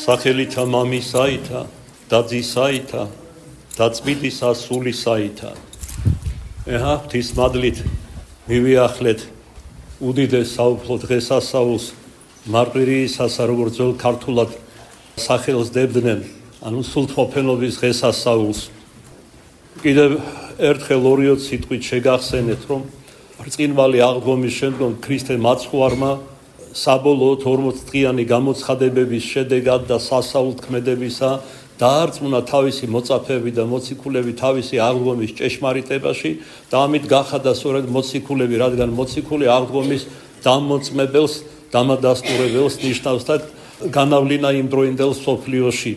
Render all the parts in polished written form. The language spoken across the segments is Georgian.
სახელითა მამისაითა და ძისაითა და წმინდისა სულისაითა. ეჰა ღვთის მადლით მივიახლეთ უდიდეს საუფლო დღესასწაულს მარყვირიისასა, როგორც ძველ ქართულად სახელს დებდნენ, ანუ სულთმოფენობის დღესასწაულს. კიდევ ერთხელ 2 სიტყვით შეგახსენეთ, რომ ბრწყინვალე აღდგომის შემდგომ ქრისტე მაცხვარმა საბოლოოდ 40 დღიანი გამოცხადებების შედეგად და სასაულთქმედებისა დაარწმუნა თავისი მოწაფეები და მოციქულები თავისი აღდგომის ჭეშმარიტებაში და ამით გახადა სწორედ მოციქულები, რადგან მოციქული აღდგომის დამოწმებელს, დამადასტურებელს ნიშნავს და განავლინა იმ დროინდელ სოფლიოში.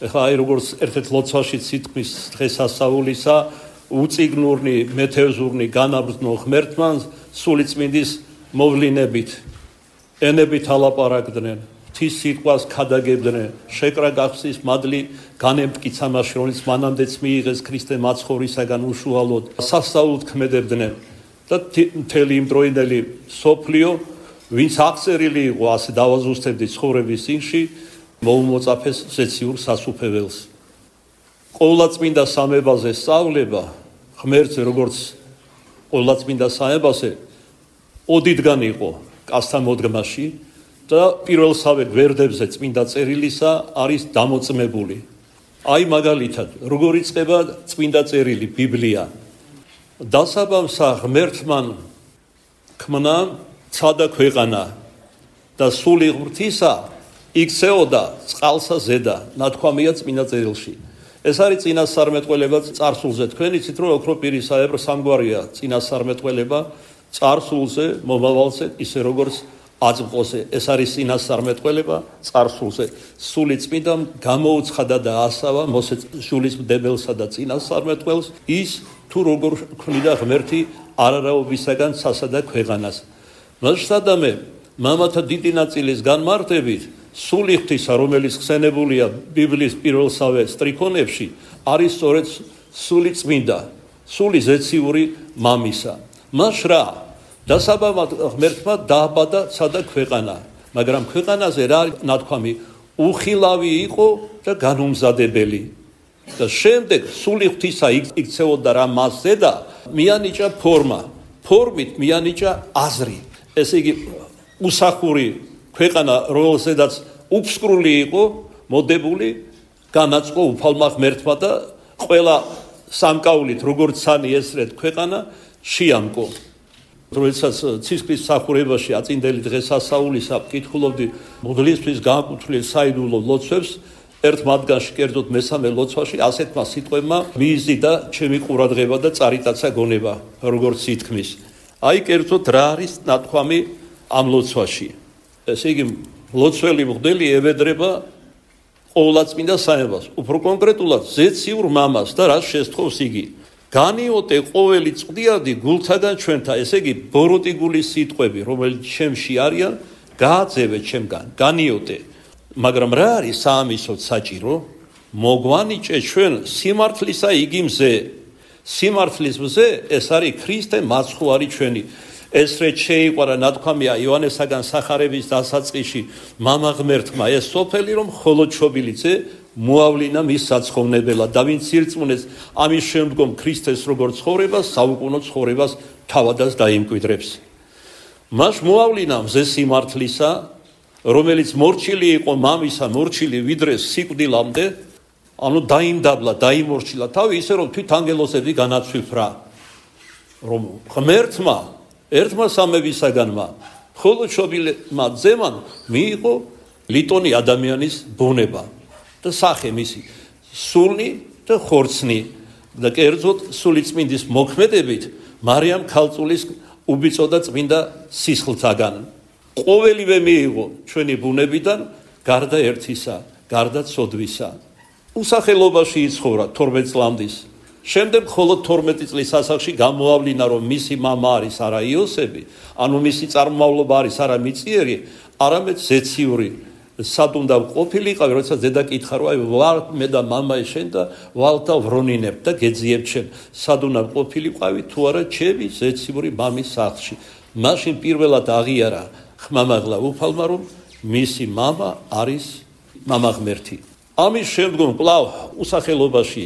ეხლა აი როგორც ერთ-ერთ ლოცვაში სიტყვის დღესასწაულისა უწიგნურნი, მეთევზურნი განაბრძნო ღმერთმა სულიწმინდის მოვლინებით, ენებით ალაპარაკდნენ, ღვთის სიტყვას ქადაგებდნენ, შეკრა გახსნის მადლი განემტკიცა მაშინ, რომელიც მანამდეც მიიღეს ქრისტე მაცხოვრისაგან უშუალოდ, სასწაულად ქმედებდნენ და მთელი იმ დროინდელი სოფლიო, ვინც აღწერილი იყო ასე დავაზუსტებდი ცხოვრების წინში, მოუმოწაფეს ზეციურ სასუფეველს. ყოვლადწმინდა სამებაზე სწავლება ღმერთზე, როგორც ყოვლადწმინდა სამებაზე ოდიდან იყო კაცთა მოდგმაში და პირველსავე გვერდებზე წმინდა წერილისა არის დამოწმებული. აი მაგალითად, როგორ იწყება წმინდა წერილი, ბიბლია. დასაბამსა ღმერთმა ქმნა ცადა ქვეყანა და სული ღმრთისა იქცეოდა წყალსა ზედა, ნათქვამია წმინდა წერილში. ეს არის წინასწარმეტყველება წარსულზე. თქვენ იცით, რომ ოქროპირის საებრ სამგვარია წინასწარმეტყველება წარსულზე, მომავალზე, ისე როგორც აწმყოზე. ეს არის წინასწარმეტყველება წარსულზე. სული წმინდამ გამოუცხადა და ასავა მოსე შულისმდებელსა და წინასწარმეტყველს ის თუ როგორ ქმნიდა ღმერთი არარაობისაგან სასადა ქვეყანას. მასშტადამე მამათა დიდი ნაწილის განმარტებით სული ღვთისა, რომელიც ხსენებულია ბიბლიის პირველსავე სტრიქონებში, არის სწორედ სული წმინდა, სული ზეციური მამისა. მას რა დასაბამად ღმერთმა დააბადა ცადა ქვეყანა, მაგრამ ქვეყანაზე რა ნათქვამი უხილავი იყო და განუმზადებელი. და შემდეგ სული ღვთისა იქცეოდა რა მასზე და მიანიჭა ფორმა, ფორმით მიანიჭა აზრი. ესე იგი უსახური ქვეყანა, რომელზედაც უფსკრული იყო მოდებული, განაწყო უფალმა ღმერთმა და ყველა სამკაულით, როგორც სანი ესრეთ ქვეყანა შეამკო. როდესაც ცისკრის მსახურებაში აწინდელი დღესასწაულისა ვკითხულობდი მოდლისთვის განკუთვნილ საიდუმლო ლოცვებს, ერთ მათგანში, კერძოდ მესამე ლოცვაში, ასეთმა სიტყვებმა მიიზიდა ჩემი ყურადღება და წარიტაცა გონება, როგორც სითქმის. აი კერძოდ რა არის ნათქვამი ამ ლოცვაში. ესე იგი, ლოცველი მღვდელი ევედრება ყოვლადწმინდა სამებას, უფრო კონკრეტულად ზეციურ მამას და რაც შესთხოვს იგი. განიოტე ყოველი წვდიადი გულთაგან ჩვენთა, ესე იგი, ბოროტი გულის სიტყვები, რომელიც ჩემში არიან, გააძევე ჩემგან, განიოტე. მაგრამ რა არის საამისოდ საჭირო? მოგვანიჭე ჩვენ სიმართლისა იგიმზე. სიმართლის მზე ეს არის ქრისტე მაცხვარი ჩვენი. ესრეთ შეიყვარა ნათქვამია იოანესაგან სახარების დასაწყისში მამა ღმერთმა ეს სოფელი, რომ მხოლოდ შობილიძე მოავლინა მის საცხოვნებელად და ვინც ირწმუნეს ამის შემდგომ ქრისტეს როგორც ცხოვრებას, საუკუნო ცხოვრებას თავადაც დაიმკვიდრებს. მას მოავლინა მზე სიმართლისა, რომელიც მორჩილი იყო მამისა, მორჩილი ვიდრე სიკვდილამდე, ანუ დაიმდაბლა, დაიმორჩილა თავი ისე, რომ თვით ანგელოზები განაცვიფრა. რომ ღმერთმა ერთმა სამებისაგანმა მხოლოდ შობილმა ძემან მიიღო ლიტონი ადამიანის ბუნება და სახე მისი სული და ხორცნი და კერძოდ სულიწმინდის მოქმედებით მარიამ ქალწულის უბიწო და წმინდა სისხლთაგან. ყოველივე მიიღო ჩვენი ბუნებიდან გარდა ერთისა, გარდა ცოდვისა. უსახელობაში იცხოვრა 12 წლამდის. შემდეგ მხოლოდ 12 წლის ასაკში გამოავლინა, რომ მისი მამა არის არა იოსები, ანუ მისი წარმომავლობა არის არა მიწიერი, არამედ ზეციური. სად უნდა ყოფილიყავი, როდესაც დედა კითხა, რომ აი ვარ მე და მამა შენ და ვალთა ვრონინებ და გეძიებ ჩემ. სად უნდა ყოფილიყავი თუ არა ჩემი ზეციური მამის სახლში. მაშინ პირველად აღიარა ხმამაღლა უფალმა, რომ მისი მამა არის მამა ღმერთი. ამის შემდგომ კვლავ უსახელობაში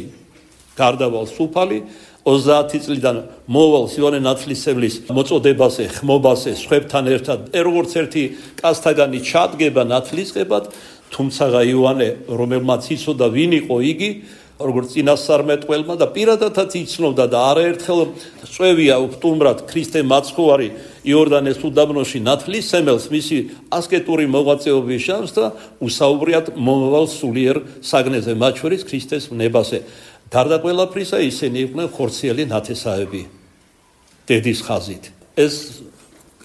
გარდავალ სუფალი 30 წლიდან მოვალ ივანე ნათლისმცემლის მოწოდებაზე, ხმობაზე, სხვებთან ერთად როგორც ერთი კაცთაგანი ჩადგება ნათლისღებად, თუმცა ივანე, რომელმაც იცოდა ვინ იყო იგი, როგორც წინასწარმეტყველმა და პირადადაც იცნობდა და არაერთხელ წვევია უპტუმრად ქრისტე მაცხოვარი იორდანეს უდაბნოში ნათლისმცემელს მისი ასკეტური მოღვაწეობის შანსს და უსაუბრიათ მომავალ სულიერ საგნეზე, მათ შორის ქრისტეს ვნებაზე. გარდა ყველაფრისა ისინი იყვნენ ხორციელი ნათესავები დედის ხაზით. ეს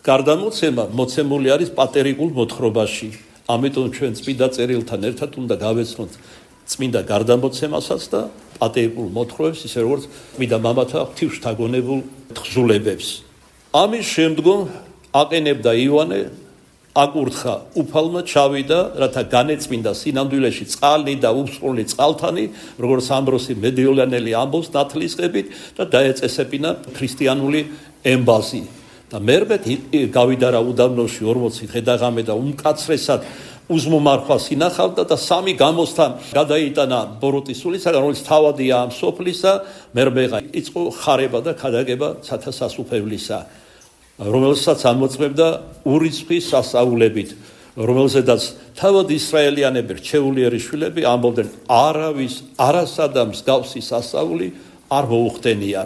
გარდამოცემა მოცემული არის პატერიკულ მოთხრობაში. ამიტომ ჩვენ წმინდა წერილთან ერთად უნდა გავეცნოთ წმინდა გარდამოცემასაც და პატერიკულ მოთხრობებს, ისე როგორც წმინდა მამათა ღვთისმშთაგონებულ თხზულებებს. ამის შემდგომ აყენებდა ივანე აკურთხა უფალმა, ჩავიდა, რათა განეწმინდა სინამდვილეში წყალი და უსწრული წყალთანი, როგორც ამბროსი მედიოლანელი ამბობს ნათლისღებით და დაეწესებინა ქრისტიანული ემბაზი. და მერმე გავიდა რა უდაბნოში 40 დღე-ღამე და უმკაცრესად უზმომარხვას ინახავდა და 3 გამოსთან გადაიტანა ბოროტის სულისაგან, რომელიც თავადია ამ სოფლისა, მერმე იწყო ხარება და ქადაგება სათა სასუფევლისა, რომელსაც ამოწმებდა ურიცხვი სასაულებით, რომელზედაც თავად ისრაელიანები რჩეულიერი შვილები ამბობდნენ, არავის არასადა მსგავსი სასაული არ მოუხდენია.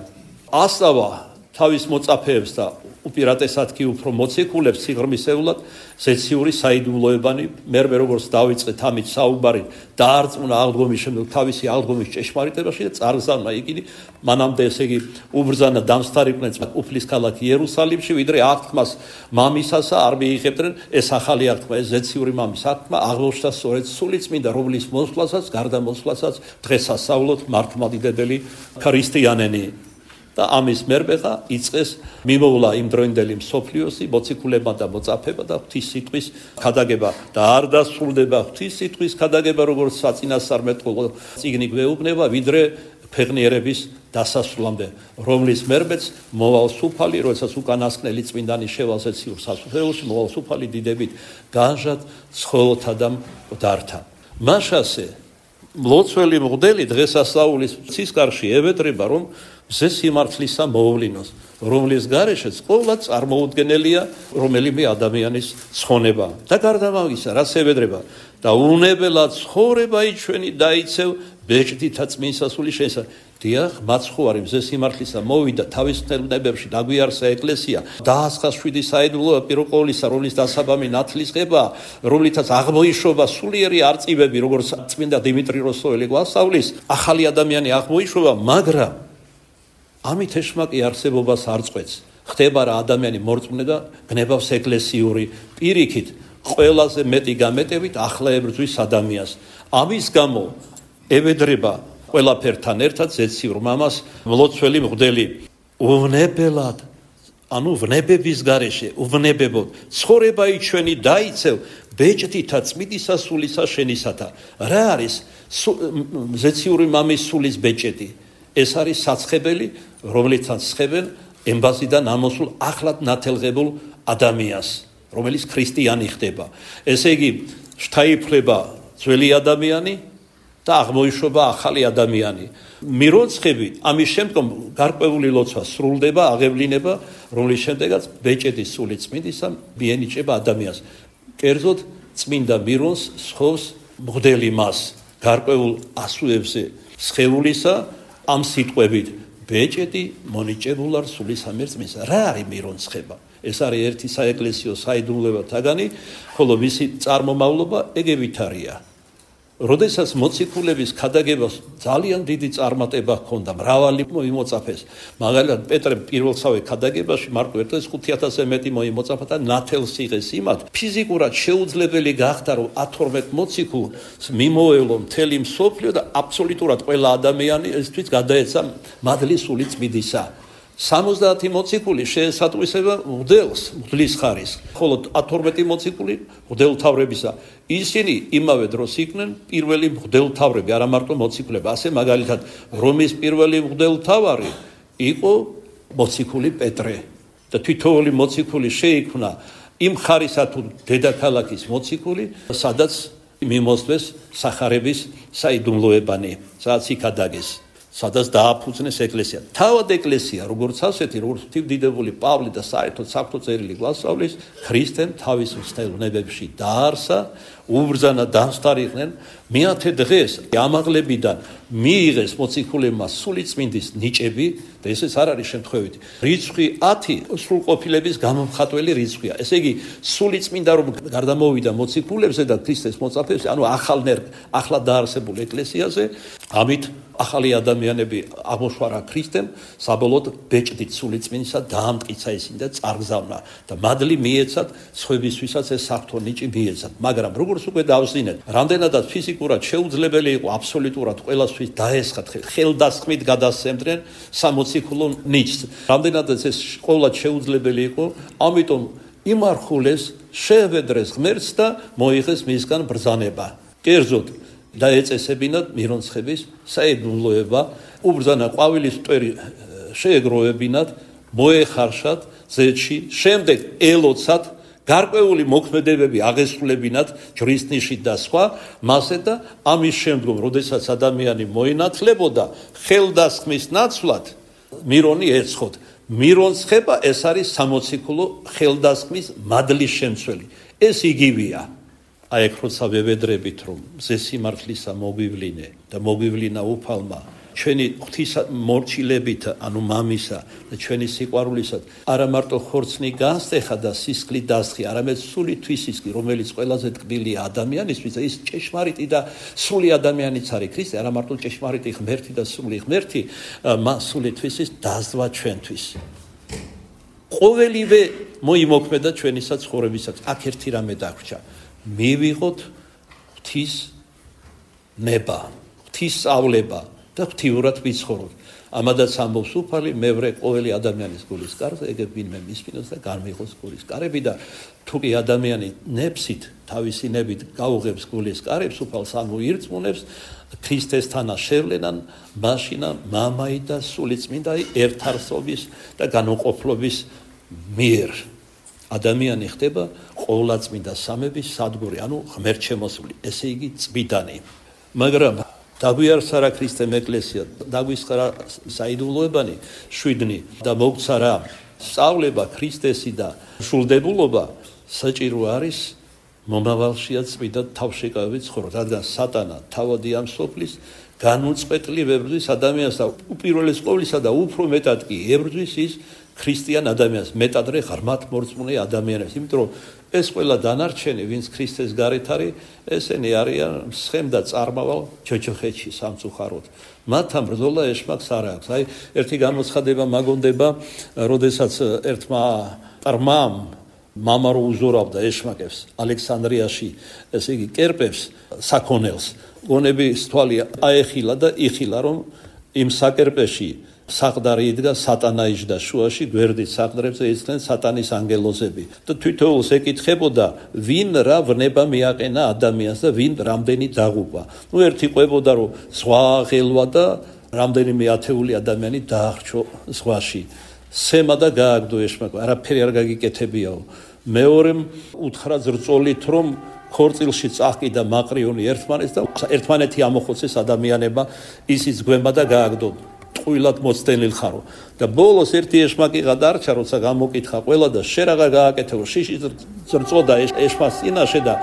ასავა თავის მოწაფეებს და უპირატესად კი უფრო მოციქულებს სიღრმისეულად ზეციური საიდუმლოებანი, მერმე როგორც დავიწყეთ ამით საუბარი, დაარწმუნა აღდგომის შემდეგ თავისი აღდგომის ჭეშმარიტებაში და წარგზავნა იგი მანამდე ესე იგი უბრძანა დამსხარიყვნენ უფლის ქალაქ იერუსალიმში, ვიდრე აღთქმას მამისასა არ მიიღებდნენ. ეს ახალი აღთქმა, ეს ზეციური მამის აღთქმა აღმოჩნდა სწორედ სულიწმინდა, რომლის მოსვლასაც, გარდამოსვლასაც დღესასწაულოთ მართლმადიდებელი ქრისტიანენი. და ამის მერმეღა იწყეს მიმოვლა იმ დროინდელი მსოფლიოსი მოციქულებმა და მოწაფეებმა და ღვთის სიტყვის ქადაგება და არ დასრულდება ღვთის სიტყვის ქადაგება, როგორც საწინასწარმეტყველო წიგნი გვეუბნება, ვიდრე ფեղნიერების დასასრულამდე, რომლის მერმეც მოვალ სუფალი, როდესაც უკანასკნელი წმინდანი შევალ ზეციურ სასუფეველში, მოვალ სუფალი დიდებით განჟად ცხოველთა და მკვდართა. მაშასე მლოცველი მღვდელი დღესასწაულის ცისკარში ევედრება, რომ მზე სიმართლისა მოვლინოს, რომლის გარეშეც ყოვლად წარმოუდგენელია რომელიმე ადამიანის ცხონება. და გარდა ამისა, რაც ევედრება და უნებელად ცხოვრება ჩვენი დაიცევ ბეჭდითა წმინსასული შენსა. დიახ, მაცხოვარი მზე სიმართლისა მოვიდა თავის ხელნებებში დაგვიარსა ეკლესია, დაასხა 7 საიდუმლოება პირველ ყოვლისა, რომლის დასაბამი ნათლისღება, რომლითაც აღმოიშობა სულიერი არწივები, როგორც წმინდა დიმიტრი როსოელი გვასწავლის, ახალი ადამიანი აღმოიშობა, მაგრამ ამით ეშმაკი არსებობას არ წყვეტს. ხდება რა ადამიანი მორწმუნე და გნებავს ეკლესიური პირიქით, ყველაზე მეტი გამეტებით ახლა ებრძვის ადამიანს. ამის გამო ევედრება ყველაფერთან ერთად ზეციურ მამას მლოცველი მღვდელი უვნებელად, ანუ ვნებების გარეშე, უვნებებოდ ცხოვრება ჩვენი დაიცევ ბეჭდითა წმიდისა სულისა შენისათა. რა არის ზეციური მამის სულის ბეჭედი? ეს არის საცხებელი, რომლითაც ცხებენ ემბაზიდან ამოსულ ახლად ნათელღებულ ადამიანს, რომელიც ქრისტიანი ხდება. ესე იგი, შთაიფლება ძველი ადამიანი და აღმოიშობა ახალი ადამიანი. მირონცხები ამის შემდგომ გარკვეული ლოცვა სრულდება, აღევლინება, რომლის შემდეგაც ბეჭედის სული წმინდისა მიენიჭება ადამიანს. კერძოდ წმინდა მირონს სხობს მღვდელი მას გარკვეულ ასუებზე სხეულისა ამ სიტყვებით ბეჭედი მონიჭებულარ სულისამერწმის. რა არის მირონცხება? ეს არის ერთი საეკლესიო საიდუმლოება თაგანი, ხოლო მისი წარმომავლობა ეგევითარია. როდესაც მოციქულების ქადაგებას ძალიან დიდი წარმატება ჰქონდა, მრავალი მოიმოწაფეს. მაგალითად, პეტრე პირველსავე ქადაგებაში მარტო 5,000-ზე მეტი მოიმოწაფა და ნათელს იღეს იმათ. ფიზიკურად შეუძლებელი გახდა, რომ 12 მოციქულს მიმოევლო მთელი მსოფლიო და აბსოლუტურად ყველა ადამიანი ესთვის გადაეცა მადლის სული წმინდისა. 70 მოციქული შეესატყვისება მღვდლის ხარისხს, ხოლო 12 მოციქული მღვდელთავრებისა. ისინი იმავე დროს იყვნენ პირველი მღვდელთავრები, არა მარტო მოციქულები. ასე მაგალითად, რომის პირველი მღვდელთავარი იყო მოციქული პეტრე და თითოეული მოციქული შეიქმნა იმ ხარისა თუ დედაქალაქის მოციქული, სადაც მიმოსვეს სახარების საიდუმლოებანი, სადაც იქ ადაგეს, სადაც დააფუძნეს ეკლესია. თავად ეკლესია, როგორც ასეთი, როგორც ღვთივდიდებული პავლე და საერთოდ საღვთო წერილი გვასწავლის, ქრისტემ თავის მცდელნებებში დაარსა, უბრძანა, დამსხდარიყვნენ, მეათე დღეს ამაღლებიდან მიიღეს მოციქულებმა სულიწმინდის ნიჭები და ესეც არ არის შემთხვევითი. რიცხვი 10 სრულყოფილების გამომხატველი რიცხვია. ესე იგი, სულიწმინდა რომ გარდამოვიდა მოციქულებზე და ქრისტეს მოწაფეებზე, ანუ ახლა დაარსებულ ეკლესიაზე, ამით ახალი ადამიანები აღმოშვარა ქრისტემ, საბოლოოდ ბეჭდით სულიწმინდისა დაამტკიცა ისინი და წარგზავნა და მადლი მიეცათ სხვებისთვისაც ეს საღვთო ნიჭი მიეცათ. მაგრამ როგორც უკვე დავსვინეთ, რამდენადაც ფიზიკურად შეუძლებელი იყო აბსოლუტურად ყველასთვის დაესხათ, ხელდასხმით გადასცემდნენ სამოციქულო ნიჭს. რამდენადაც ეს ყოველად შეუძლებელი იყო, ამიტომ იმარხულეს, შეევედრეს ღმერთს და მოიღეს მისგან ბრძანება. კერძოდ დაეწესებინათ მირონცხების საიდუმლოება, უბრძანა ყვავილის მტვერი შეეგროვებინათ, მოეხარშათ ზეთში, შემდეგ ელოცათ, გარკვეული მოქმედებები აღესრულებინათ ჯვრის ნიშით და სხვა, მასე და ამის შემდგომ, როდესაც ადამიანი მოინათლებოდა ხელდასხმის ნაცვლად, მირონი ეცხოთ. მირონცხება ეს არის სამოციქულო ხელდასხმის მადლის შემცველი. ეს იგივეა. აი ეგ როცა ვევედრებით, რომ მზესიმართლისა მოგვივლინე და მოგვივლინა უფალმა, ჩვენი ღვთისა მორჩილებით, ანუ მამისა და ჩვენი სიყვარულისად, არა მარტო ხორცნი განსტეხა და სისხლი დასხი, არამედ სული თვისისკი, რომელიც ყველაზე ტკბილია ადამიანისთვის და ის ჭეშმარიტი და სული ადამიანიც არის ქრისტე, არა მარტო ჭეშმარიტი ღმერთი და სული ღმერთი, სული თვისის დაზვა ჩვენთვის. ყოველივე მოიმოქმედა ჩვენისაც ცხოვრებისაც. აქ ერთი რამე დაგვრჩა. მივიღოთ ღვთის ნება, ღვთის სწავლება და ღვთიურად ვიცხოვროთ. ამადაც ამბობს უფალი, მე ვრე ყოველი ადამიანის გულის კარზე, ეგ ვინმე მისმინოს და განმიღოს გულის კარები და თუკი ადამიანი ნებსით, თავისი ნებით გაუღებს გულის კარებს, უფალს ამოირწმუნებს, ქრისტესთან შევლენან, მაშინა მამაი და სულიწმინდაი ერთარსობის და განუყოფლობის მიერ. ადამიანი ხდება ყოვლადწმინდა სამების სადგური, ანუ ღმერთშემოსული, ესე იგი წმიდანი. მაგრამ დაგვიარსა რა ქრისტემ ეკლესია, დაგვისხარა საიდუმლოებანი 7 და მოგცა რა სწავლება ქრისტესი და შულდებულობა, საჭირო არის მომავალშიაც წმიდად თავშეკავებით ცხოვროთ, რადგან სატანა თავადი ამ სოფლის განუწყვეტლი ვებრძვის ადამიანს და უპირველეს ყოვლისა და უფრო მეტად კი ებრძვის ის ქრისტიან ადამიანს, მეტადრე ღრმად მორწმუნე ადამიანებს, იმიტომ რომ ეს ყველა დანარჩენი, ვინც ქრისტეს გარეთ არის, ესენი არიან მსხემ და წარმავალ ჯოჯოხეთში სამწუხაროდ. მათ ამ ბრძოლა ეშმაკს არ აქვს. აი, ერთი გამოცხადება მაგონდება, როდესაც ერთმა წარმამ მამა რო უზორავდა ეშმაკებს ალექსანდრიაში, ესე იგი კერპებს საქონელს, გონების თვალი აეხილა და იხილა, რომ იმ საკერპეში საყდარი იდგა, სატანა იჯდა შუაში, გვერდით საყდრებზე იწყდნენ სატანის ანგელოზები და თვითოულს ეკითხებოდა, ვინ რა ვნება მიაყენა ადამიანს და ვინ რამდენი დაღუპა. ერთი ყვებოდა, რომ ზღვა აღელვა და რამდენიმე ათეული ადამიანი დაახრჩო ზღვაში. სემა და გააგდო ეშმაკმა, არაფერი არ გაგიკეთებიაო. მეორემ უთხრა ზრწოლით, რომ ქორწილში წაჰკიდა მაყრიონი ერთმანეთს და ერთმანეთი ამოხოცეს ადამიანებმა, ისიც გვემა და გააგდო. ტყუილად მოცდენილ ხარო და ბოლოს ერთი ეშმაკი გადარჩა, როცა გამოკითხა ყველა და შე რაღა გააკეთე, რომ შიში ზრწოდა ეშმაკს წინაშე და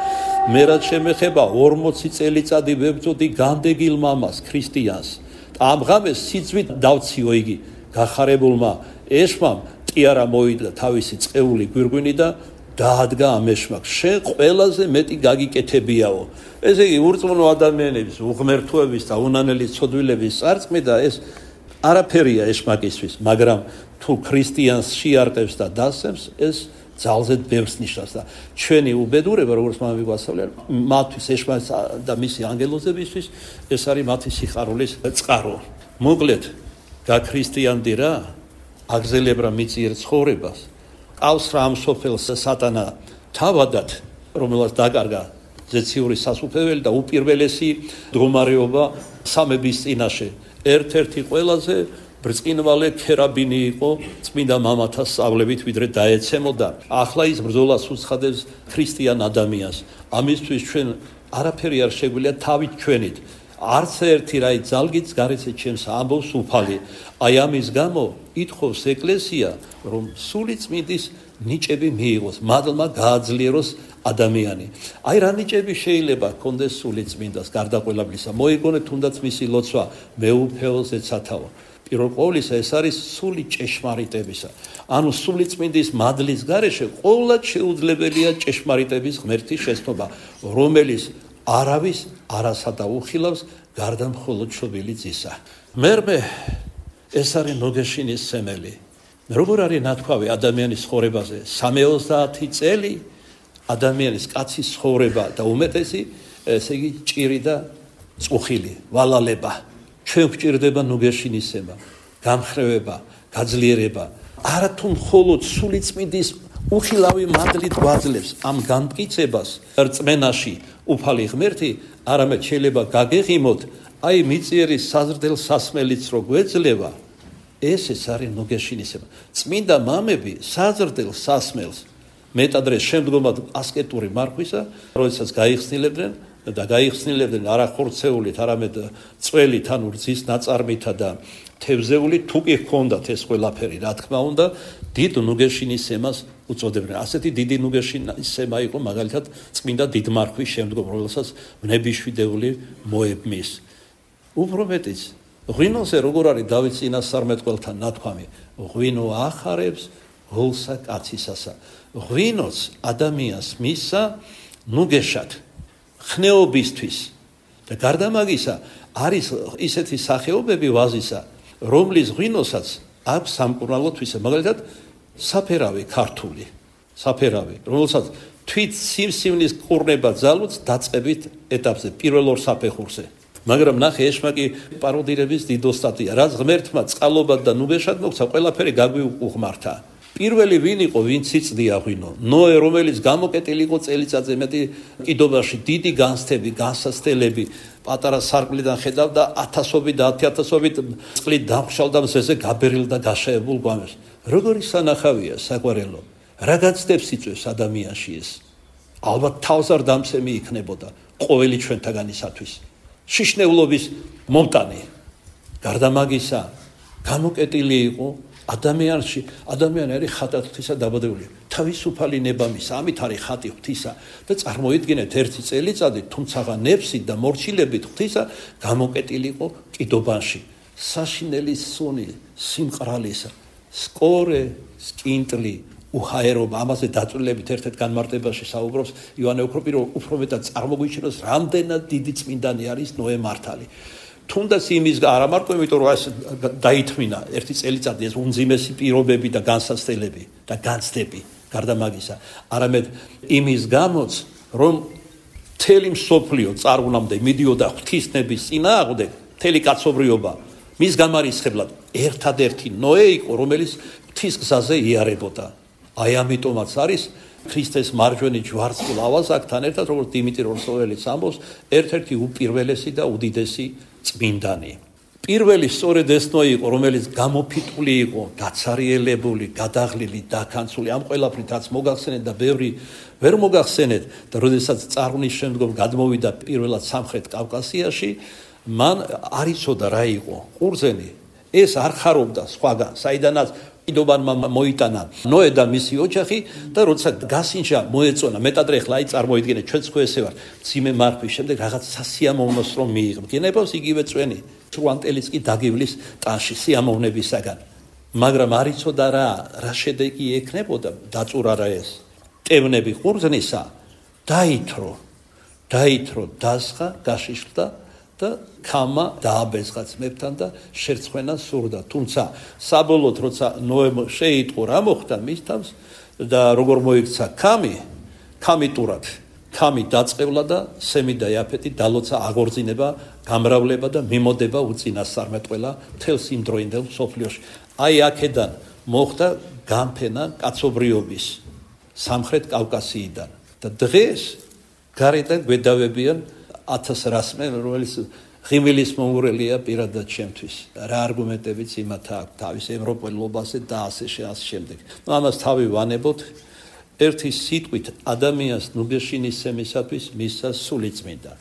მე რაც შემეხება 40 წელიწადი ვებრძოდი განდეგილ მამას ქრისტიანს. ამ ღამეს სიძვით დავციო იგი გახარებულმა ეშმამ ტიარა მოიდლა თავისი წეული გვირგვინი და დაადგა ამ ეშმაკს. შენ ყველაზე მეტი გაგიკეთებიაო. ესე იგი ურწმუნო ადამიანების უღმერთოების და უნანელი ცოდვილების წარწმიდა ეს არაფერია ეშმაკისთვის, მაგრამ თუ ქრისტიანს შეარყევს და დასცემს, ეს ძალზედ ბევრს ნიშნავს და ჩვენი უბედურება, როგორც მამები გვასწავლიან, მათთვის ეშმაკს და მისი ანგელოზებისთვის ეს არის მათი სიხარულის წყარო. მოკლედ, გაქრისტიანდი რა, აგზელებ რა მიწიერ ცხოვრებას, ყავს რა ამ სოფელს სატანა თავადად, რომელსაც დაკარგა ზეციური სასუფეველი და უპირველესი მდგომარეობა სამების წინაშე. ერთ-ერთი ყველაზე ბრწყინვალე ქერაბინი იყო წმინდა მამათა სწავლებით, ვიდრე დაეცემოდა. ახლა ის ბრძოლას უცხადებს ქრისტიან ადამიანს. ამისთვის ჩვენ არაფერი არ შეგვიძლია თავით ჩვენით. არც ერთი რაი ძალგიც გარეცე ჩემს ამბობს უფალი. აი ამის გამო ითხოვს ეკლესია, რომ სული წმინდის ნიჭები მიიღოს, მადლმა გააძლიეროს ადამიანი. აი რა ნიჭები შეიძლება ჰქონდეს სული წმინდას გარდა ყველაფრისა. მოიგონეთ თუნდაც მისი ლოცვა მეუფეელზე ცათავო. პირველ ყოვლისა ეს არის სული ჭეშმარიტებისა. ანუ სული წმინდის მადლის გარეშე ყოვლად შეუძლებელია ჭეშმარიტების ღმერთის შეცნობა, რომელიც არავის არასა დაუხილავს გარდა მხოლოდ შობილი ძისა. მერმე ეს არის ნუგეშინის სემელი. როგორ არის ნათქვამი ადამიანის ცხოვრებაზე? 30 წელი ადამიანის კაცის ცხოვრება და უმეტესი ესე იგი ჭირი და წუხილი, ვალალება. ჩვენ გვჭირდება ნუგეშინის სემა, გამხრევება, გაძლიერება. არა თუ მხოლოდ სული წმინდის უხილავი მადლით გვაძლევს ამ განმტკიცებას რწმენაში უფალი ღმერთი, არამედ შეიძლება გაგეღიმოთ აი მიწიერი საზრდელ სასმელიც რო გვეძლევა, ეს არის ნუგეშინის სემა. წმინდა მამები საზრდელ სასმელს მეტადრე შემდგომად ასკეტური მარხვისა, როდესაც გაიხსნილებდნენ და გაიხსნილებდნენ არა ხორცეულით, არამედ წველით, ანუ რძის ნაწარმითა და თევზეულით, თუ კი ჰქონდათ ეს ყველაფერი, რა თქმა უნდა, დიდ ნუგეშინის სემას უწოდებდნენ. ასეთი დიდი ნუგეშინის სემა იყო მაგალითად წმინდა დიდმარხვის შემდგომ, რომელსაც ნებიშვიდეული მოებმის. უფრო მეტიც, ღვინოზე როგორ არის დავით წინასწარმეტყველთან ნათქვამი, ღვინო ახარებს გულსა კაცისასა. ღვინოც ადამიანს მისცა ნუგეშად ხნეობისთვის და გარდა მაგისა არის ისეთი სახეობები ვაზისა, რომლის ღვინოსაც აქვს სამკურნალოთვისა, მაგალითად საფერავი ქართული, საფერავი, რომელსაც თვით სიმსივნის ყურნება ძალუც დაწყებით ეტაპზე, პირველ ორ საფეხურზე. მაგრამ ნახე, ეშმაკი პაროდირების დიდოსტატია, რაც ღმერთმა წყალობად და ნუგეშად მოგცა, ყველაფერი გაგვიუღმართა. პირველი ვინ იყო, ვინც იწდია ღვინო? ნოე, რომელიც გამოკეტილი იყო წელიწადზე მეტი კიდობაში, დიდი განცდები, განსაცდელები, პატარა სარკმლიდან ხედავდა ათასობით და 10,000-ობით წყლით დამხშალდა მზეზე გაბერილ და გაშაებულ გვამებს. როგორი სანახავია საყვარელო, რა განცდებს იწვევს ადამიანში ეს? ალბათ თავს არ დამცემი იქნებოდა ყოველი ჩვენთაგანისათვის. შიშნეულობის მომტანი. გარდა მაგისა, გამოკეტილი იყო ადამიანში, ადამიანი არის ხატად ღვთისა დაბადებული. თავისუფალი ნება მისცა, ამით არის ხატი ღვთისა და წარმოიდგინეთ ერთი წელიწადი, თუმცა ნებსით და მორჩილებით ღვთისა გამოკეტილი იყო კიდობანში. საშინელი სუნი, სიმყრალისა, სკორე, სკინტლი, უჰაერობა, ამაზე დაწვრილებით ერთ-ერთ განმარტებაში საუბრობს იოანე უფრო მეტად წარმოგვიჩნევს, რამდენად დიდი წმინდანი არის ნოე მართალი. თუნდაც იმის არ ამარტო, იმიტომ რომ ეს დაითმინა ერთი წელიწადი ეს უმძიმესი პირობები და განსაცდელები და განცდები გარდა მაგისა, არამედ იმის გამოც, რომ მთელი მსოფლიო წარღვნამდე მიდიოდა ღვთისნების წინააღმდეგ, მთელი კაცობრიობა მის გამარისხებლად ერთადერთი ნოე იყო, რომელიც ღვთის გზაზე იარებოდა. აი ამიტომაც არის ქრისტეს მარჯვენა ჯვარცმულ ავაზაკთან ერთად, როგორც დიმიტრი როსოველიც ამბობს, ერთ-ერთი უპირველესი და უდიდესი წმინდანი. პირველი სწორედ ეს ნოე იყო, რომელიც გამოფიტული იყო, დაცარიელებული, გადაღლილი, დაქანცული, ამ ყველაფრით რაც მოგახსენეთ და ბევრი ვერ მოგახსენეთ და როდესაც წარღვნის შემდგომ გადმოვიდა პირველად სამხრეთ კავკასიაში, მან არ იცოდა რა იყო ყურძენი. ეს არ ხარობდა სხვაგან, საიდანაც კიდობანმა მოიტანა ნოე და მისი ოჯახი და როცა გასინჯა მოეწონა, მეტად ახლა აი წარმოიდგინეთ, ჩვენც ხო ესე ვარ, ძიმე მარხვის შემდეგ რაღაც სასიამოვნოს რომ მიიღო. გენებავს იგივე წვენი, სრუანტელიც კი დაგივლის ტანში სიამოვნებისაგან. მაგრამ არ იცოდა რა შედეგი ექნებოდა, დაწურა რა ეს. ტევნები ყურძნისა დაითრო, დასხა, გაშიშხდა და ქამა დააბეზღა ძმებთან და შერცხვენა სურდა. თუმცა საბოლოოდ როცა ნოემ შეიტყო რა მოხდა მის თავს და როგორ მოიქცა ქამი ტურად, ქამი დაწყევლა და სემი და იაფეთი დალოცა აღორძინება, გამრავლება და მიმოდება უწინასწარმეტყველა მთელს იმ დროინდელ მსოფლიოში. აი აქედან მოხდა გამფენა კაცობრიობის სამხრეთ კავკასიიდან და დღეს გარედან გვედავებიან 1000 რასმე, რომელიც ღიმილის მომურელია პირადად ჩემთვის. რა არგუმენტებიც იმათ აქვს თავის ევროპელობაზე და ასე შემდეგ. ამას თავი ვანებოთ, ერთი სიტყვით ადამიანს ნუგეშინისცემისათვის მისცა სულიწმინდა.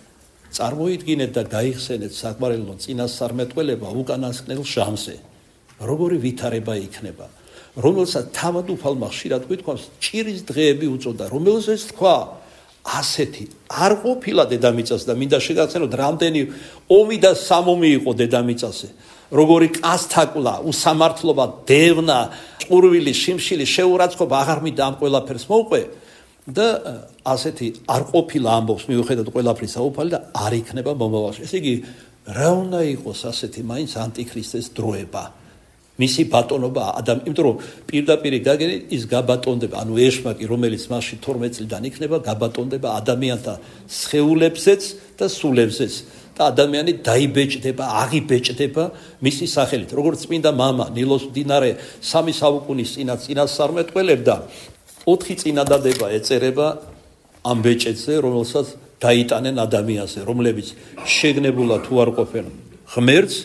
წარმოიდგინეთ და გაიხსენეთ საყვარელო წინასწარმეტყველება უკანასკნელ ჟამზე. როგორი ვითარება იქნება, რომელსაც თავად უფალმა ხშირად გვითქვამს ჭირის დღეები უწოდა, რომელზეც თქვა ასეთი არ ყოფილა დედამიწას და მინდა შეგახსენოთ რამდენი ომი და სამომი იყო დედამიწაზე. როგორი კასთაკლა, უსამართლობა, დევნა, ყურვილი, შიმშილი, შეურაცხყოფა აღარ მინდა ამ ყველაფერს მოვყვე და ასეთი არ ყოფილა ამბობს მიუხედავად ყველაფრისა უფალი და არ იქნება მომავალში. ესე იგი, რა უნდა იყოს ასეთი მაინც ანტიქრისტეს დროება. მისი ბატონობა იმიტომ რომ პირდაპირ გაგენით ის გაბატონდება, ანუ ეშმაკი, რომელიც მასში 12 წლიდან იქნება, გაბატონდება ადამიანთა სხეულებზეც და სულებზეც. და ადამიანი დაიბეჭდება, აღიბეჭდება მისი სახელით. როგორც წმინდა მამა ნილოს მდინარე 3 საუკუნის წინასწარმეტყველებდა, 4 წინადადება ეწერება ამ ბეჭედზე, რომელსაც დაიტანენ ადამიანზე, რომლებიც შეგნებულად თუ არ ყოფენ ღმერთს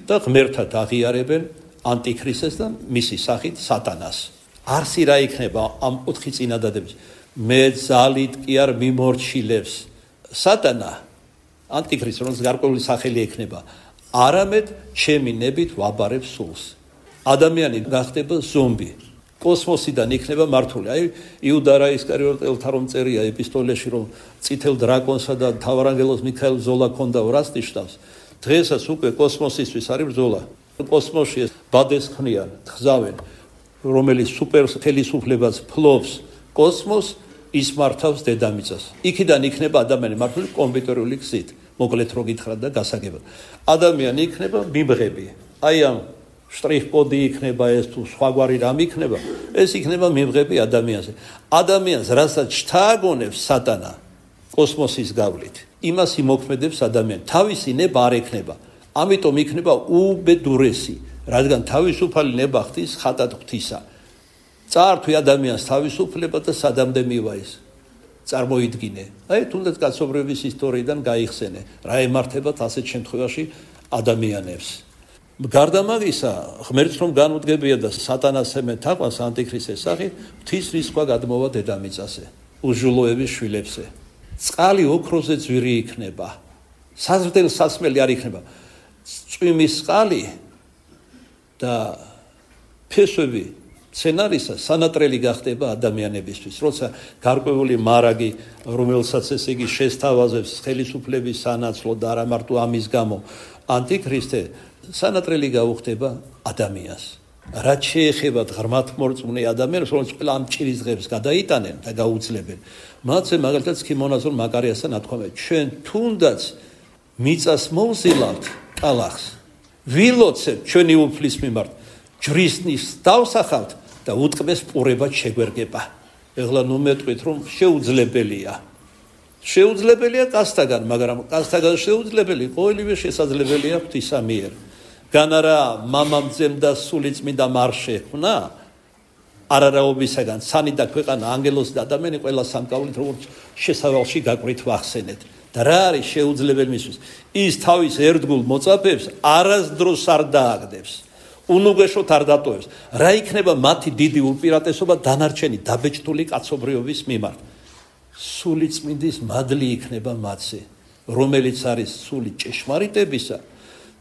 და ღმერთად აღიარებენ ანტიქრისტეს და მისი სახით სატანას. არსი რა იქნება ამ 4 წინადადების? მე ძალით კი არ მიმორჩილებს სატანა ანტიქრისტს, რომელსაც გარკვეული სახელი ექნება, არამედ ჩემი ნებით ვაბარებ სულს. ადამიანი გახდება ზომბი, კოსმოსიდან იქნება მართული. აი იუდა რა ისკარიოტელთა რომ წერია ეპისტოლეში, რომ წითელ დრაკონსა და მთავარანგელოს მიქაელ ბრძოლა ქონდა, რას ნიშნავს? დღესაც უკვე კოსმოსისთვის არის ბრძოლა. კოსმოსში ბადეს ხნიან, თხზავენ, რომელიც სუპერ ხელისუფლებას ფლობს კოსმოს, ის მართავს დედამიწას. იქიდან იქნება ადამიანი მართული კომპიუტერული გზით. მოკლედ რო გითხრათ და გასაგებად. ადამიანი იქნება მიმღები. აი ამ შტრიხ-კოდი იქნება ეს თუ სხვაგვარი რამ იქნება, ეს იქნება მიმღები ადამიანზე. ადამიანს რასაც შთააგონებს სატანა კოსმოსის გავლით, იმას იმოქმედებს ადამიანი. თავისი ნება არ ექნება. ამიტომ იქნება უბედურესი, რადგან თავისუფალი ნება ხდის ხატად ღვთისა. წაართვი ადამიანს თავისუფლება და სადამდე მივა ის. წარმოიდგინე. აი თუნდაც კაცობრიობის ისტორიიდან გაიხსენე, რა ემართებათ ასეთ შემთხვევაში ადამიანებს. გარდა მაგისა, ღმერთს რომ განუდგებია და სატანას ემენ თაყვანს ანტიქრისტეს სახით, ღვთის რისხვა გადმოვა დედამიწაზე, უჟულოების შვილებზე. წყალი ოქროზე ძვირი იქნება. საზრდელ სასმელი არ იქნება. წვიმის წყალი და ფესვები სცენარისა სანატრელი გახდება ადამიანებისთვის, როცა გარკვეული მარაგი, რომელსაც ესე იგი შესთავაზებს ხელისუფლების სანაცვლოდ და არა მარტო ამის გამო, ანტიქრისტე სანატრელი გაუხდება ადამიანს. რაც შეეხება ღრმათმორწმუნე ადამიანებს, რომლებიც ყველა ამ ჭირის დღეებს გადაიტანენ და გაუძლებენ, მათზე მაგალითად ქიმონაზურ მაკარიასთან ათქვამენ, ჩვენ თუნდაც მიწას მოვზილავთ კალახს, ვილოცებთ ჩვენი უფლის მიმართ, ჯვრისნის დავსახავთ და უტყბეს პურებად შეგვერგება. ეხლა ნუ მეტყვით რომ შეუძლებელია. შეუძლებელია კაცთაგან, მაგრამ კაცთაგან შეუძლებელი ყოველივე შესაძლებელია ღვთისა მიერ. გან არა მამამძემ და სულიწმინდა არ შექმნა არარაობისაგან სანი და ქვეყანა, ანგელოზი და ადამიანი ყველა სამკაულით როგორც შესავალში გაკვრით ვახსენეთ. და რა არის შეუძლებელი მისთვის? ის თავის ერთგულ მოწაფეებს არასდროს არ დააგდებს. უნუგეშოთ არ დატოვებს. რა იქნება მათი დიდი უპირატესობა დანარჩენი დაბეჭდული კაცობრიობის მიმართ? სულიწმინდის მადლი იქნება მათზე, რომელიც არის სული ჭეშმარიტებისა,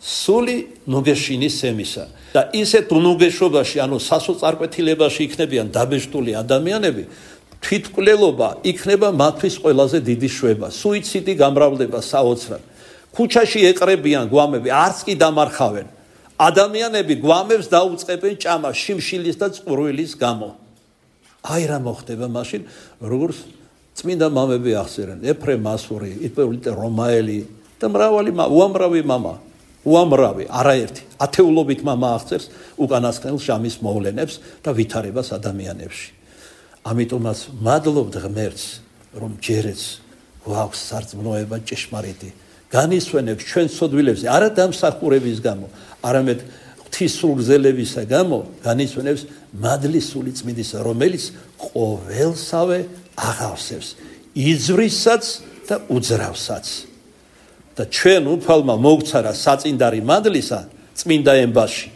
სული ნუგეშინის სემისა. და ისეთ უნუგეშობაში, ანუ სასოწარკვეთილებაში იქნებიან დაბეჭდული ადამიანები, თვითმკვლელობა იქნება მათთვის ყველაზე დიდი შვება. სუიციდი გამრავლდება საოცრად. ქუჩაში ეყრებიან გვამები, არც კი დამარხავენ. ადამიანები გვამებს დაუწყებენ ჭამას შიმშილის და წყურვილის გამო. აი რა მოხდება მაშინ, როგორც წმინდა მამები ახსენებენ, ეფრემ მასური, იპოლიტე რომაელი და უამრავი, არაერთი, ათეულობით მამა აღწერს უკანასკნელ ჟამის მოვლენებს და ვითარებას ადამიანებში. ამიტომაც მადლობთ ღმერთს, რომ ჯერეც გვაქვს სარწმუნოება ჭეშმარიტი. განისვენებს ჩვენ ცოდვილებზე, არა დამსახურების გამო, არამედ ღვთის სულგზელებისა გამო განისვენებს მადლის სულიწმინდისა, რომელიც ყოველსავე აღავსებს, იძვრისაც და უძრავსაც. და ჩვენ უფალმა მოგცარა საწინდარი მადლისა წმინდა ემბაში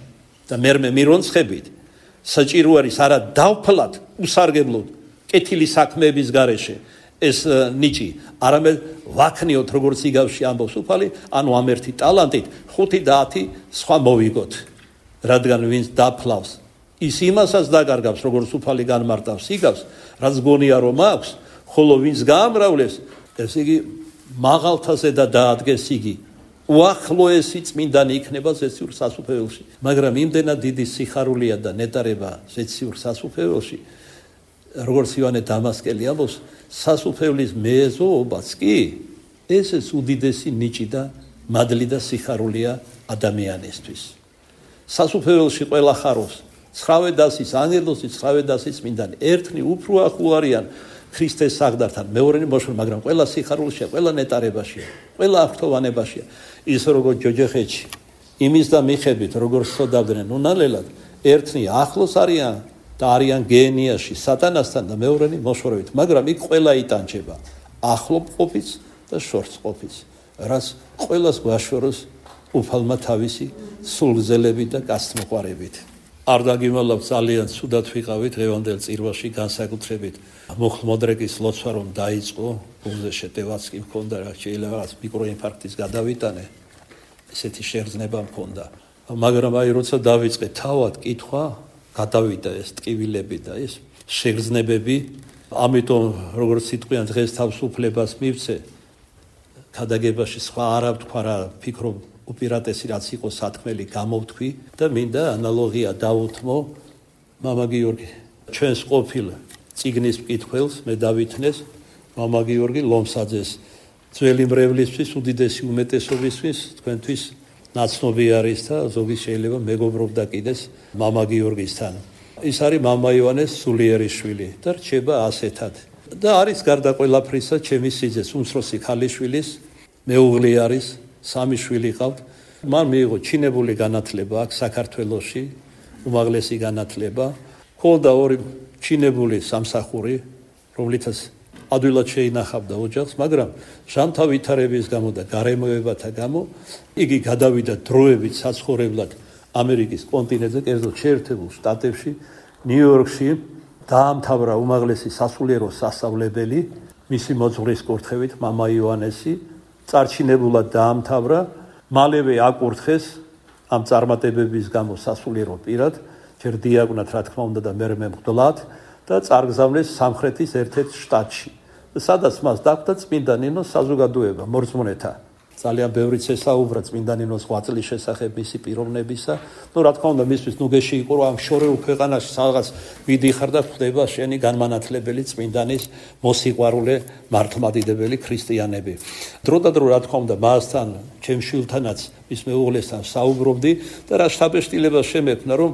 და მერმე მირონცხებით, საჭირო არის არა დავფლად, უსარგებლოდ, კეთილი საქმეების გარეშე ეს ნიჭი, არამედ ვაქნიოთ როგორც იგავში ამბობს უფალი, ანუ ამ ერთი ტალანტით 5-10 სხვა მოვიგოთ, რადგან ვინც დაფლავს ის იმასაც დაგარგავს, როგორც უფალი განმარტავს იგავს, რაც გონია რომ აქვს, ხოლო ვინც გაამრავლებს, ესე იგი მაღალთაზე და დაადგეს იგი, უახლოესი წმინდანი იქნება ზეციურ სასუფეველში. მაგრამ იმდენად დიდი სიხარულია და ნეტარება ზეციურ სასუფეველში, როგორც ივანე დამასკელი ამბობს, სასუფეველის მეზობაც კი ესეც უდიდესი ნიჭი და მადლი და სიხარულია ადამიანისთვის. სასუფეველში ყველა ხარობს, ცხრავე დასის ანგელოზი, ცხრავე დასის წმინდანი, ერთნი უფრო ახლო არიან ქრისტეს საგდართან, მეორენი მოშორ, მაგრამ ყველა სიხარულშია, ყველა ნეტარებაშია, ყველა აღფრთოვანებაშია. ის როგორც ჯოჯოხეთში იმის და მიხებით, როგორც ხოდავდნენ უნალელად, ერთნი ახლოს არიან და არიან გენიაში სატანასთან და მეორენი მოშორებით, მაგრამ იქ ყველა იტანჯება, ახლო ყოფიც და შორს ყოფიც, რაც ყველას გვაშოროს უფალმა თავისი სულგზელებით და გასწმოყარებით. არ დაგიმალავ ძალიან ცუდად ვიყავით დღევანდელ წირვაში განსაკუთრებით მუხლმოდრეკის ლოცვა რომ დაიწყო, გულზე შეტევაც კი მქონდა, რა შეიძლება რაღაც მიკროინფარქტის გადავიტანე, ესეთი შეგრძნება მქონდა. მაგრამ აი როცა დავიწყე თავად კითხვა, გადავიდა ეს ტკივილები და ეს შეგრძნებები, ამიტომ როგორც სიტყვიან დღეს თავისუფლებას მივცე, ქადაგებაში სხვა არა ვთქვა რა, ფიქრობ უპირატესი რაც იყო სათქმელი გამოვთქვი და მინდა ანალოგია დავუთმო მამა გიორგი ჩვენს ყოფილ წიგნის მკითხველს მე დავითნეს მამა გიორგი ლომსაძეს ძველი მრევლისთვის უდიდესი უმეტესობისთვის თქვენთვის ნაცნობი არის და ზოგი შეიძლება მეგობრობდა კიდეს მამა გიორგისთან. ის არის მამა ივანეს სულიერის შვილი და რჩება ასეთად და არის გარდა ყველაფრისა ჩემი სიძეს უმცროსი ქალიშვილის მეუღლე არის, 3 შვილი ყავთ. მან მიიღო ჩინებული განათლება აქ საქართველოში, უმაღლესი განათლება. ჰქონდა 2 ჩინებული სამსახური, რომლითაც ადვილად შეინახავდა ოჯახს, მაგრამ ჟამთა ვითარების გამო და გარემოებათა გამო იგი გადავიდა დროებით საცხოვრებლად ამერიკის კონტინენტზე, კერძოდ შეერთებულ შტატებში, ნიუ-იორკში, დაამთავრა უმაღლესი სასულიერო სასწავლებელი, მისი მოძღვრის კურთხევით მამა ივანესი, წარჩინებულად დაამთავრა, მალევე აკურთხეს ამ წარმატებების გამო სასულიერო პირად, ჯერ დიაკვნად რა თქმა უნდა და მერე მემღვდლად და წარგზავნეს სამხრეთის ერთ-ერთ შტატში. სადაც მას დახვდა წმინდა ნინოს საზოგადოება მორწმუნეთა. ძალიან ბევრი წესაუბრა წმინდა ნინოს 8 წლის შესახებ მისი პიროვნებისა. რა თქმა უნდა მისთვის ნუგეში იყო რომ ამ შორეულ ქვეყანაში სადღაც მიდიხარ და ხდება შენი განმანათლებელი წმინდანის მოსიყვარულე მართლმადიდებელი ქრისტიანები. დრო და დრო რა თქმა უნდა მასთან, ჩემ შვილთანაც, მის მეუღლესთან საუბრობდი და რა შთაბეჭდილებას შემექმნა რომ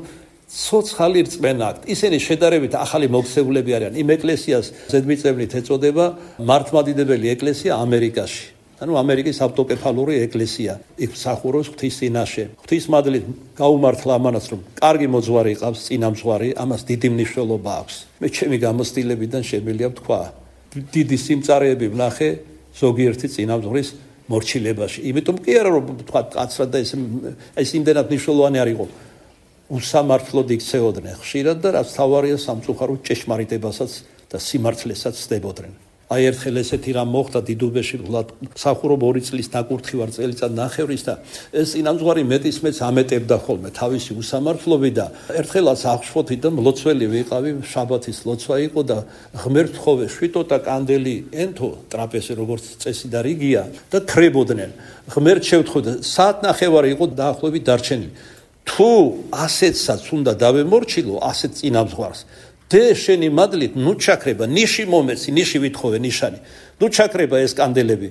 ცოცხალი რწმენა აქვთ. ისინი შედარებით ახალი მოქცეულები არიან. იმ ეკლესიას ზედმიწევნით ეწოდება მართლმადიდებელი ეკლესია ამერიკაში. ანუ ამერიკის ავტოკეფალური ეკლესია. იქ მსახურობს ღვთის წინაშე. ღვთის მადლით გაუმართლა ამანაც რომ კარგი მოძღვარი ყავს, წინამძღვარი, ამას დიდი მნიშვნელობა აქვს. მე ჩემი გამოცდილებიდან შემიძლია ვთქვა, დიდი სიმწარეები ვნახე ზოგიერთი წინამძღვრის მორჩილებაში. იმიტომ კი არა რომ ვთქვა კაცრად და ეს იმდენად მნიშვნელოვანი არ იყო. უსამართლოდ იქცეოდნენ ხშირად და რაც თავარია სამწუხაროდ ჭეშმარიტებასაც და სიმართლესაც ცდებოდნენ. აი ერთხელ ესეთი რამ მოხდა დიდუბეში, მსახურობ 2 წლის დაკურთხი ვარ წელიწად ნახევრის და ეს წინამძღვარი მეტისმეც ამეტებდა ხოლმე თავისი უსამართლობით და ერთხელაც აღშფოთი და მლოცველი ვიყავი, შაბათის ლოცვა იყო და ღმერთ ხოვე შვიტოტა კანდელი ენთო ტრაპეზზე როგორც წესი და რიგია და ქრებოდნენ. ღმერთ შევთხოვდა, საათნახევარი იყო დაახლოებით დარჩენილი. თუ ასეთსაც უნდა დავემორჩილო, ასეთ წინამძღვარს დე შენი მადლით ნუ ჩაქრება, ნიში მომეცი, ნიში ვითხოვე ნიშანი. ნუ ჩაქრება ეს კანდელები.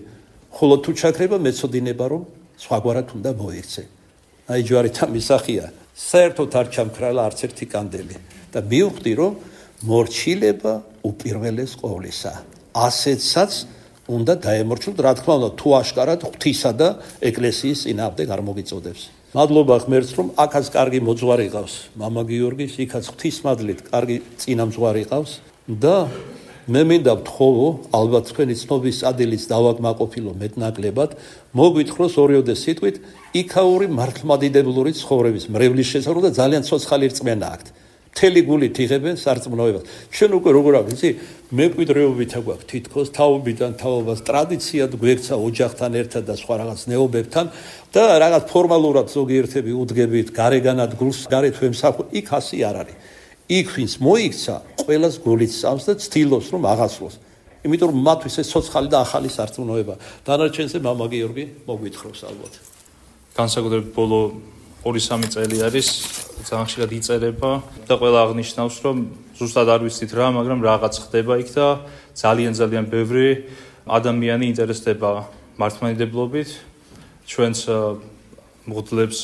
ხოლო თუ ჩაქრება მეწოდინება რომ სხვაგვარად უნდა მოიქცე. აი ჯვარითა მისახია. საერთოდ არ ჩამქრალა არც ერთი კანდელი და მივხვდი რომ მორჩილება უპირველეს ყოვლისა. ასეთსაც უნდა დაემორჩილოთ, რა თქმა უნდა, თუ აშკარად ღვთისა და ეკლესიის წინააღმდეგ არ მოგიწოდებს. მადლობა ღმერთს რომ აქაც კარგი მოძღვარი ყავს მამა გიორგის, იქაც ღვთის მადლით კარგი წინამძღვარი ყავს და მე მინდა ვთხოვო, ალბათ თქვენი ცნობის ადილის დავაკმაყოფილო მეტნაკლებად, მოგვითხროს ორიოდე სიტყვით იქაური მართლმადიდებლური ცხოვრების მრევლის შესაძლებლობა და ძალიან ცოცხალი რწმენა აქვთ. მთელი გულით იღებენ სარწმუნოებას. ჩვენ უკვე როგორ აქვს, იცი, მემკვიდრეობით აგვაქვს თითქოს თავობიდან თაობას ტრადიციად გვერცა ოჯახთან ერთად და სხვა რაღაც ნეობებთან და რაღაც ფორმალურად ზოგიერთები უდგებით გარეგანად გულს გარეთ ვემსახურებ, იქ ასე არ არის. იქ ვინც მოიქცა, ყველას გულით სწავს და ცდილობს რომ აღასრულოს. იმიტომ რომ მათთვის ეს ცოცხალი და ახალი სარწმუნოება. დანარჩენზე მამა გიორგი მოგვითხრობს ალბათ. განსაკუთრებით ბოლო 2-3 წელი არის ძალიან ხშირად იწერება და ყველა აღნიშნავს რომ ზუსტად არ ვიცით რა, მაგრამ რაღაც ხდება იქ და ძალიან ბევრი ადამიანი ინტერესდება მართლმადიდებლობით. ჩვენც მღვდლებს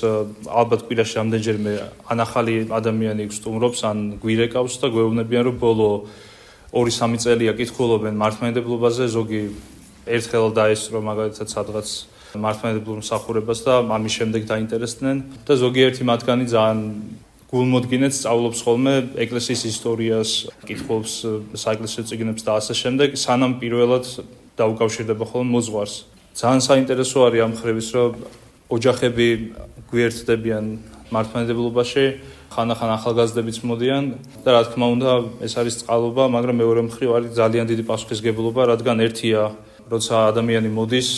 ალბათ კვირაში რამდენჯერმე ან ახალი ადამიანი გსტუმრობს, ან გვირეკავს და გვეუბნებიან რომ ბოლო 2-3 წელია კითხულობენ მართლმადიდებლობაზე, ზოგი ერთხელ დაესწრო მაგალითად სადღაც მართლმადიდებლურ მსახურებას და ამის შემდეგ დაინტერესდნენ და ზოგიერთი მათგანი ძალიან გულმოდგინედ სწავლობს ხოლმე ეკლესიის ისტორიას, კითხულობს საეკლესიო წიგნებს და ასე შემდეგ, სანამ პირველად დაუკავშირდება ხოლმე მოძღვარს. ძალიან საინტერესო არის ამ ხრივის, რომ ოჯახები გვიერთდებიან მართლმადიდებლობაში, ხანახან ახალგაზრდებიც მოდიან და რა თქმა უნდა ეს არის წყალობა, მაგრამ მეორე მხრივ არის ძალიან დიდი პასუხისგებლობა, რადგან ერთია როცა ადამიანი მოდის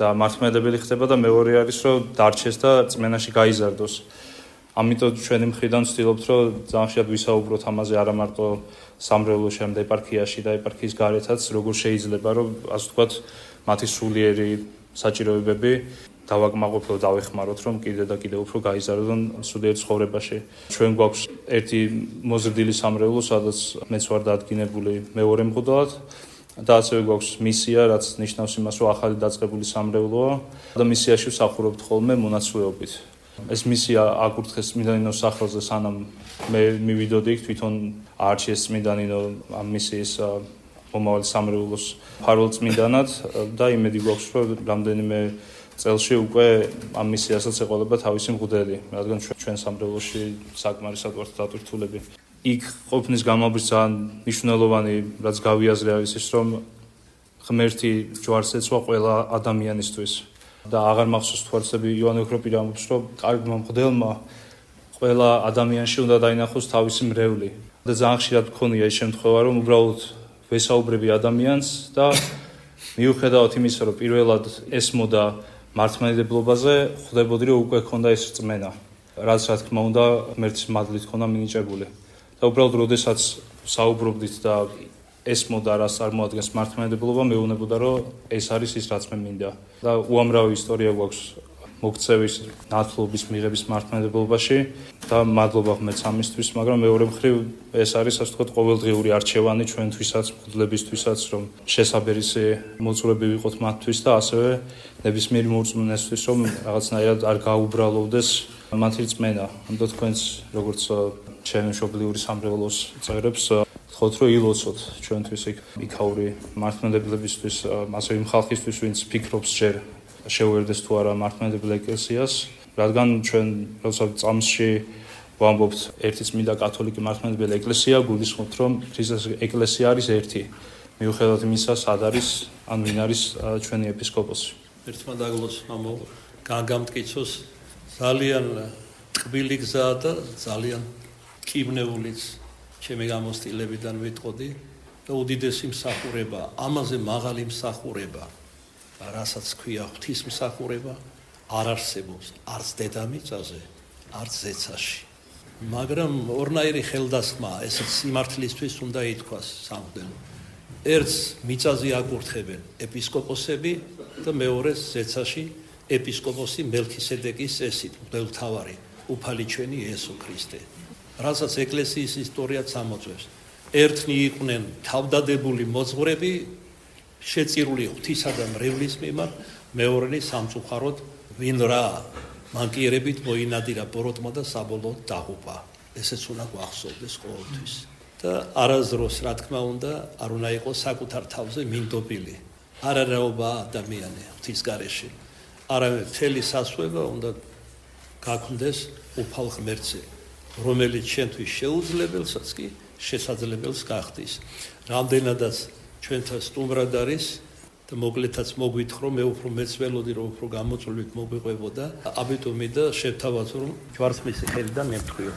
და მართლმადიდებელი ხდება და მეორე არის რომ დარჩეს და წმენაში გაიზარდოს. ამიტომ ჩვენი მხრიდან ვცდილობთ რომ ძალიან ხშირად ვისაუბროთ ამაზე არა მარტო სამრევლოში, ამ ეპარქიაში და ეპარქიის გარეთაც, როგორ შეიძლება რომ ასე ვთქვათ მათი სულიერი საჭიროებები დავაკმაყოფილოთ, დავეხმაროთ რომ კიდე და კიდე უფრო გაიზარდონ სულიერ ცხოვრებაში. ჩვენ გვაქვს ერთი მოზრდილი სამრევლო, სადაც მეც ვარ დადგინებული მეორე მღვდლად. და ასევე გვაქვს მისია, რაც ნიშნავს იმას, რომ ახალი დაწყებული სამრევლოა და მისიაში ვსახურობთ ხოლმე მონაცვლეობით. ეს მისია აკურთხეს წმინდანინოს სახელზე, სანამ მე მივიდოდი იქ, თვითონ აარჩიეს წმინდანინო ამ მისიის მომავალი სამრევლოს მფარველ წმინდანად და იმედი გვაქვს, რომ რამდენიმე წელში უკვე ამ მისიასაც ეყოლება თავისი მღვდელი, რადგან ჩვენ სამრევლოში საკმარისად ვართ დატვირთულები. იქ ყოფნის გამავალ ძალიან მნიშვნელოვანი, რაც გავიაზრე არის ის, რომ ღმერთი ჯვარს ეცვა ყველა ადამიანისთვის და აღარ მახსოვს თუ არცები იოანე ოქროპირი ამბობს, რომ კარგმა მღვდელმა ყველა ადამიანში უნდა დაინახოს თავისი მრევლი და ძალიან ხშირად მქონია ეს შემთხვევა, რომ უბრალოდ ვესაუბრები ადამიანს და მიუხედავად იმისა, რომ პირველად ესმოდა მართლმადიდებლობაზე, ხვდებოდი, რომ უკვე ქონდა ეს რწმენა, რაც რა თქმა უნდა ღმერთის მადლით ქონდა მინიჭებული. და უბრალოდ როდესაც საუბრობდით და ესმოდა რას წარმოადგენს მართლმადიდებლობა, მეუბნებოდა რომ ეს არის ის რაც მე მინდა. და უამრავი ისტორია გვაქვს მოქცევის, ნათლობის, მიღების მართლმადიდებლობაში და მადლობა ღმერთს ამისთვის, მაგრამ მეორე მხრივ ეს არის ასე ვთქვათ ყოველდღიური არჩევანი ჩვენთვისაც, მღვდლებისთვისაც, რომ შესაბერისი მოძღვრები ვიყოთ მათთვის და ასევე ნებისმიერი მორწმუნესთვის, რომ რაღაცნაირად არ გაუბრალოვდეს მათი რწმენა. ამიტომ თქვენს როგორც ჩემი მშობლიური სამრევლოს წევრებს ვთხოვთ, რომ ილოცოთ ჩვენთვის იქაური მართლმადიდებლებისთვის, ასევე იმ ხალხისთვის, ვინც ფიქრობს ჯერ შეუერდეს თუ არა მართლმადიდებელ ეკლესიას, რადგან ჩვენ როცა წამსში ვამბობთ ერთი წმინდა კათოლიკე მართლმადიდებელი ეკლესია, გულისხმობთ, რომ ქრისტეს ეკლესია არის ერთი, მიუხედავად იმისა, სად არის ან ვინ არის ჩვენი ეპისკოპოსი. ერთმა დაგლოს მამო გაგამტკიცოს ძალიან ტკბილი გზაა და ძალიან კიბნეულიც ჩემი გამოცდილებიდან ვიტყოდი და უდიდესი მსახურება, ამაზე მაღალი მსახურება, რასაც ქვია ღვთისმსახურება, არ არსებობს არც დედამიწაზე, არც ზეცაში. მაგრამ ორნაირი ხელდასხმა, ესეც სიმართლისთვის უნდა ითქვას სამღვდელო. ერთს მიწაზე აკურთხებენ ეპისკოპოსები და მეორეს ზეცაში ეპისკოპოსი მელქისედეკის წესით, მღვდელმთავარი, უფალი ჩვენი იესო ქრისტე. რასაც ეკლესიის ისტორიაც ამოწევს. ერთნი იყვნენ თავდადებული მოძღვრები, შეწირული ღვთისა და მრევლის მიმართ, მეორენი სამწუხაროდ ვინ რა მანკიერებით მოინადირა ბოროტმა და საბოლოოდ დაღუპა. ესეც უნდა გვახსოვდეს ყოველთვის. და არასდროს რა თქმა უნდა არ უნდა იყოს საკუთარ თავზე მინდობილი. არარაობა ადამიანი ღვთის გარეშე. არამედ მთელი სასვება უნდა გაქვნდეს უფალ ღმერთზე, რომელიც ჩვენთვის შეუძლებელსაც კი შესაძლებელს გახდის. რამდენადაც ჩვენთან სტუმრად არის და მოკლედაც მოგვითხოვ, მე უფრო მეც ველოდი რომ უფრო გამოწვევით მოგვიყვებოდა. ამიტომ მინდა შევთავაზო რომ ჯვარცმის ხელიდან მემთხვიო.